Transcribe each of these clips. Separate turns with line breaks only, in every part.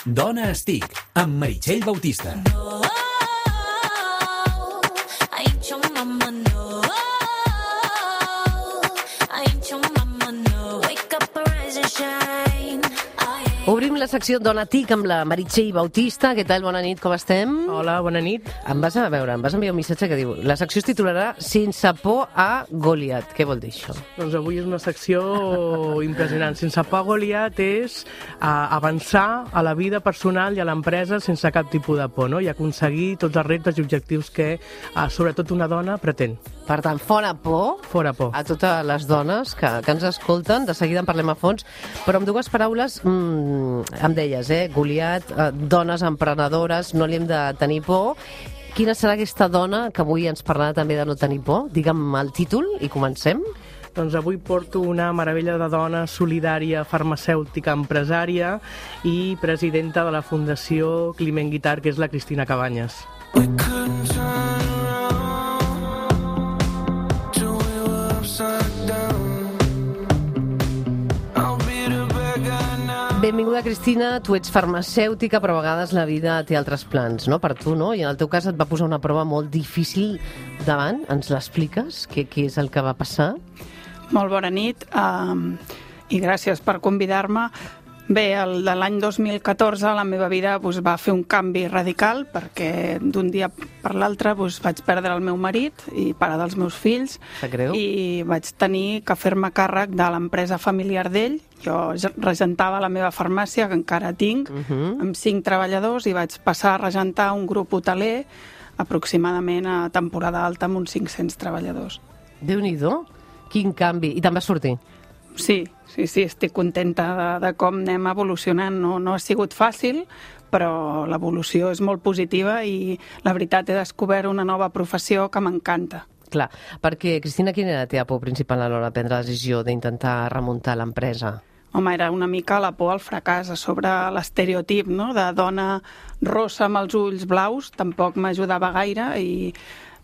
Dona Estic, amb Meritxell Bautista.
Obrim la secció Dona Tic amb la Meritxell Bautista. Què tal? Bona nit, com estem?
Hola, bona nit.
Em vas enviar un missatge que diu: la secció es titularà Sense por a Goliat. Què vol dir això?
Doncs avui és una secció impressionant. Sense por a Goliat és avançar a la vida personal i a l'empresa sense cap tipus de por, no? I aconseguir tots els reptes i objectius que, sobretot, una dona pretén.
Per tant, fora por.
Fora por.
A totes les dones que ens escolten. De seguida en parlem a fons. Però amb dues paraules, em deies, Goliat, dones emprenedores, no li hem de tenir por. Quina serà aquesta dona que avui ens parlarà també de no tenir por? Digue'm el títol i comencem.
Doncs avui porto una meravella de dona solidària, farmacèutica, empresària i presidenta de la Fundació Climent Guitart, que és la Cristina Cabanyes.
Benvinguda, Cristina. Tu ets farmacèutica, però a vegades la vida té altres plans, no? Per tu, no? I en el teu cas et va posar una prova molt difícil davant. Ens l'expliques? Què és el que va passar?
Molt bona nit i gràcies per convidar-me. Bé, de l'any 2014 la meva vida va fer un canvi radical perquè d'un dia per l'altre vaig perdre el meu marit i pare dels meus fills.
Sap greu?
I vaig tenir que fer-me càrrec de l'empresa familiar d'ell. Jo regentava la meva farmàcia, que encara tinc, amb 5 treballadors, i vaig passar a regentar un grup hoteler aproximadament a temporada alta amb uns 500 treballadors.
Déu-n'hi-do, quin canvi. I te'n vas sortir?
Sí, estic contenta de com anem evolucionant. No ha sigut fàcil, però l'evolució és molt positiva i la veritat he descobert una nova professió que m'encanta.
Clar, perquè, Cristina, quina era la teva por principal a l'hora de prendre la decisió d'intentar remuntar l'empresa?
Home, era una mica la por al fracàs, a sobre l'estereotip, no?, de dona rossa amb els ulls blaus, tampoc m'ajudava gaire, i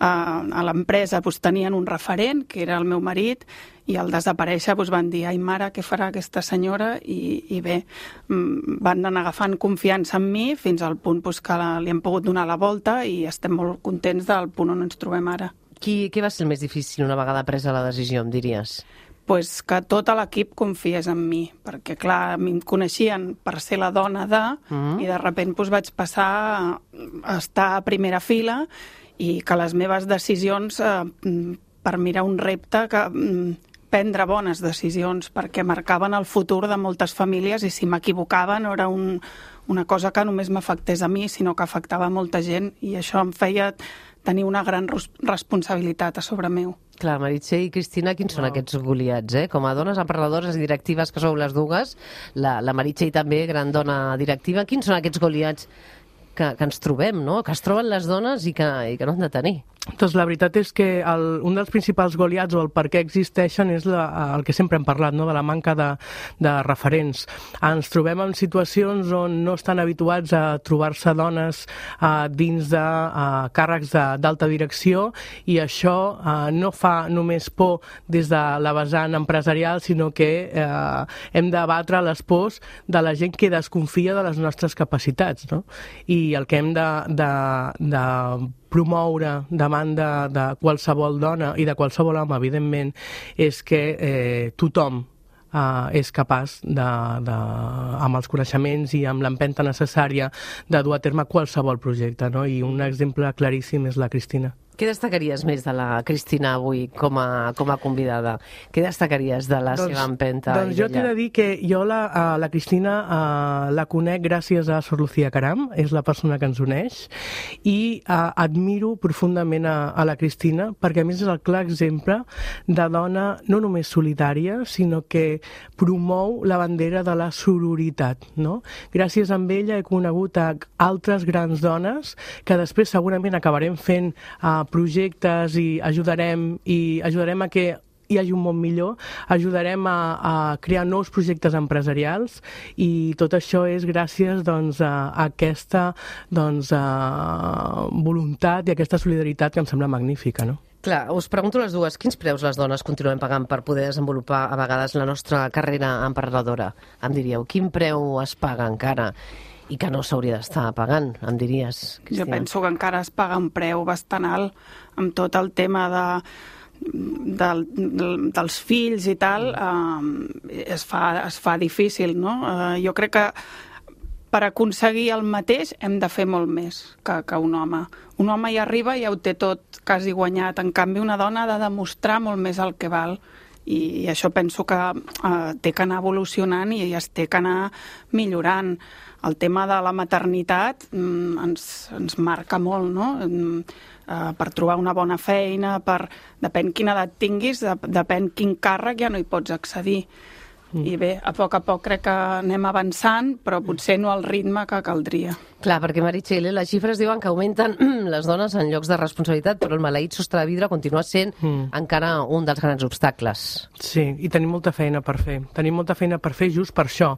a l'empresa tenien un referent, que era el meu marit, i al desaparèixer van dir: ai mare, què farà aquesta senyora? I bé, van anar agafant confiança en mi fins al punt que li hem pogut donar la volta i estem molt contents del punt on ens trobem ara.
Què va ser el més difícil una vegada presa la decisió, em diries?
Que tot l'equip confiés en mi, perquè clar, em coneixien per ser la dona i de sobte vaig passar a estar a primera fila i que les meves decisions per mirar un repte, prendre bones decisions, perquè marcaven el futur de moltes famílies, i si m'equivocava no era una cosa que només m'afectés a mi, sinó que afectava molta gent, i això em feia tenir una gran responsabilitat a sobre meu.
Clar, Meritxell i Cristina, quins són aquests Goliats, Com a dones emprenedores i directives que sou les dues, la Meritxell també, gran dona directiva, quins són aquests Goliats que ens trobem, no?, que es troben les dones i que no han de tenir?
Doncs la veritat és que un dels principals Goliats, o el per què existeixen, és el que sempre hem parlat, no?, de la manca de referents. Ens trobem en situacions on no estan habituats a trobar-se dones dins de càrrecs d'alta direcció, i això no fa només por des de la vessant empresarial, sinó que hem de batre les pors de la gent que desconfia de les nostres capacitats, no? I el que hem de promoure davant de qualsevol dona i de qualsevol home, evidentment, és que tothom és capaç, amb els coneixements i amb l'empenta necessària, de dur a terme qualsevol projecte, no? I un exemple claríssim és la Cristina.
Què destacaries més de la Cristina avui com a convidada? Què destacaries de la seva empenta?
Doncs jo t'he de dir que jo la Cristina la conec gràcies a Sor Lucía Caram, és la persona que ens uneix, i admiro profundament a la Cristina, perquè a més és el clar exemple de dona no només solidària, sinó que promou la bandera de la sororitat, no? Gràcies a ella he conegut altres grans dones que després segurament acabarem fent projectes i ajudarem a que hi hagi un món millor, ajudarem a crear nous projectes empresarials, i tot això és gràcies a aquesta voluntat i aquesta solidaritat que em sembla magnífica, no?
Clar, us pregunto les dues, quins preus les dones continuem pagant per poder desenvolupar a vegades la nostra carrera emprenedora? Em diríeu, quin preu es paga encara? i que no s'hauria d'estar pagant, em diries, Cristina.
Jo penso que encara es paga un preu bastant alt amb tot el tema dels fills i tal, es fa difícil, no? Jo crec que per aconseguir el mateix hem de fer molt més que un home. Un home hi arriba i ja ho té tot quasi guanyat. En canvi, una dona ha de demostrar molt més el que val. I això penso que té que anar evolucionant i es té que anar millorant. El tema de la maternitat ens marca molt, no? Per trobar una bona feina, depèn quina edat tinguis, depèn quin càrrec, ja no hi pots accedir. I bé, a poc crec que anem avançant, però potser no al ritme que caldria.
Clar, perquè, Meritxell, les xifres diuen que augmenten les dones en llocs de responsabilitat, però el maleït sostre de vidre continua sent encara un dels grans obstacles.
Sí, i tenim molta feina per fer. Tenim molta feina per fer just per això.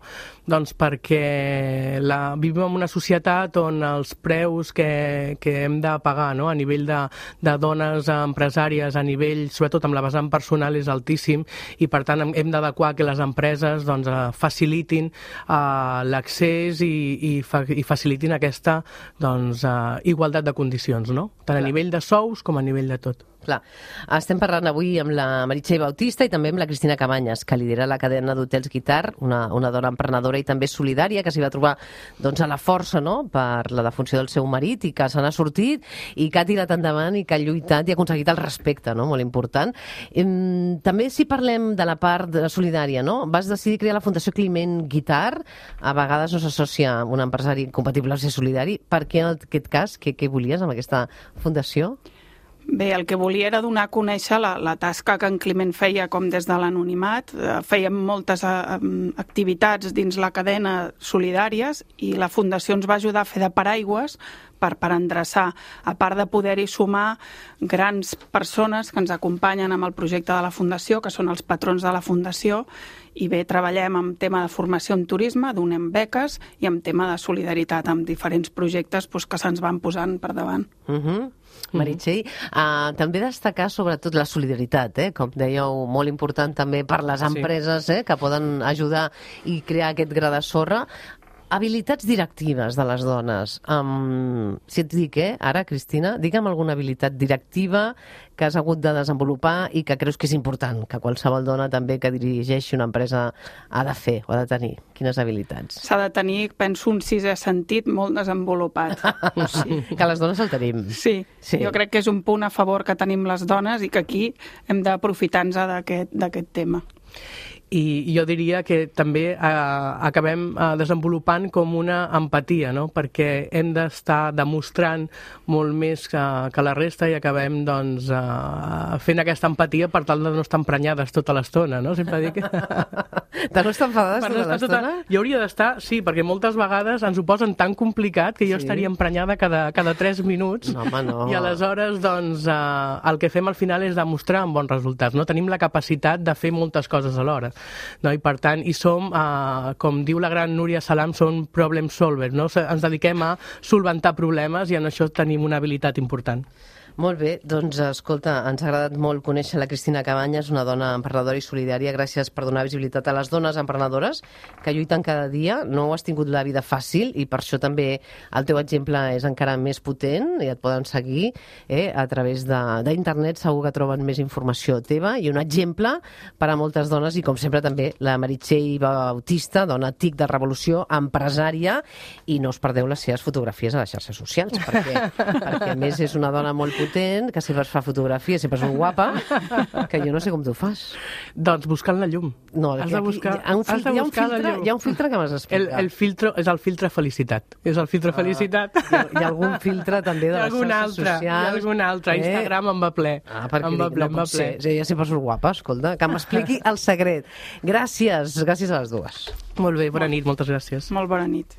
Doncs perquè vivim en una societat on els preus que hem de pagar, no?, a nivell de dones empresàries, a nivell, sobretot amb la vessant personal, és altíssim, i per tant hem d'adequar que les empreses doncs, facilitin l'accés i facilitin aquesta igualtat de condicions, no? Tant a nivell de sous com a nivell de tot.
Clar. Estem parlant avui amb la Meritxell Bautista i també amb la Cristina Cabanyes, que lidera la cadena d'hotels Guitar, una dona emprenedora i també solidària, que s'hi va trobar doncs, a la força, no?, per la defunció del seu marit i que se n'ha sortit i que ha tirat endavant i que ha lluitat i ha aconseguit el respecte, no?, molt important. També si parlem de la part solidària, no?, vas decidir crear la Fundació Climent Guitar, a vegades no s'associa amb un empresari incompatible amb ser solidari. Per què en aquest cas? Què volies amb aquesta fundació?
Bé, el que volia era donar a conèixer la tasca que en Climent feia com des de l'anonimat. Fèiem moltes activitats dins la cadena solidàries i la Fundació ens va ajudar a fer de paraigües per endreçar, a part de poder-hi sumar grans persones que ens acompanyen amb el projecte de la Fundació, que són els patrons de la Fundació, i bé, treballem amb tema de formació en turisme, donem beques, i amb tema de solidaritat, amb diferents projectes que se'ns van posant per davant.
Meritxell, també destacar sobretot la solidaritat, com dèieu, molt important també per les empreses que poden ajudar i crear aquest gra de sorra. Habilitats directives de les dones. Si et dic, ara, Cristina, digue'm alguna habilitat directiva que has hagut de desenvolupar i que creus que és important, que qualsevol dona també que dirigeixi una empresa ha de fer o ha de tenir. Quines habilitats?
S'ha de tenir, penso, un sisè sentit molt desenvolupat.
Sí. Que les dones el tenim.
Sí, jo crec que és un punt a favor que tenim les dones i que aquí hem d'aprofitar-nos d'aquest tema.
I jo diria que també acabem desenvolupant com una empatia, no?, perquè hem d'estar demostrant molt més que la resta i acabem doncs, fent aquesta empatia per tal de no estar emprenyades tota l'estona, no? Sempre dic...
De no estar enfadades tota l'estona?
Jo hauria d'estar, sí, perquè moltes vegades ens ho posen tan complicat que jo estaria emprenyada cada 3 minuts.
No, home, no.
I aleshores doncs, el que fem al final és demostrar amb bons resultats, no? Tenim la capacitat de fer moltes coses alhora. No? I per tant, som, com diu la gran Núria Salam, som problem solvers, no? Ens dediquem a solventar problemes i en això tenim una habilitat important.
Molt bé, doncs escolta, ens ha agradat molt conèixer la Cristina Cabanyes, una dona emprenedora i solidària. Gràcies per donar visibilitat a les dones emprenedores que lluiten cada dia. No has tingut la vida fàcil i per això també el teu exemple és encara més potent i et poden seguir a través d'internet. Segur que troben més informació teva i un exemple per a moltes dones i com sempre també la Meritxell Bautista, dona TIC de Revolució, empresària, i no us perdeu les seves fotografies a les xarxes socials perquè a més és una dona molt potent, que sempre es fa fotografies, sempre és molt guapa, que jo no sé com tu fas.
Doncs buscant la llum.
No, has de buscar hi ha un filtre que m'has explicat.
El filtre és el filtre felicitat. És el filtre felicitat.
Hi ha algun filtre també de les xarxes socials.
Hi ha algun altre. Instagram em va ple.
Perquè no pot ser. Ja sempre surt guapa, escolta. Que m'expliqui el secret. Gràcies a les dues.
Molt bé, bona nit, moltes gràcies.
Molt bona nit.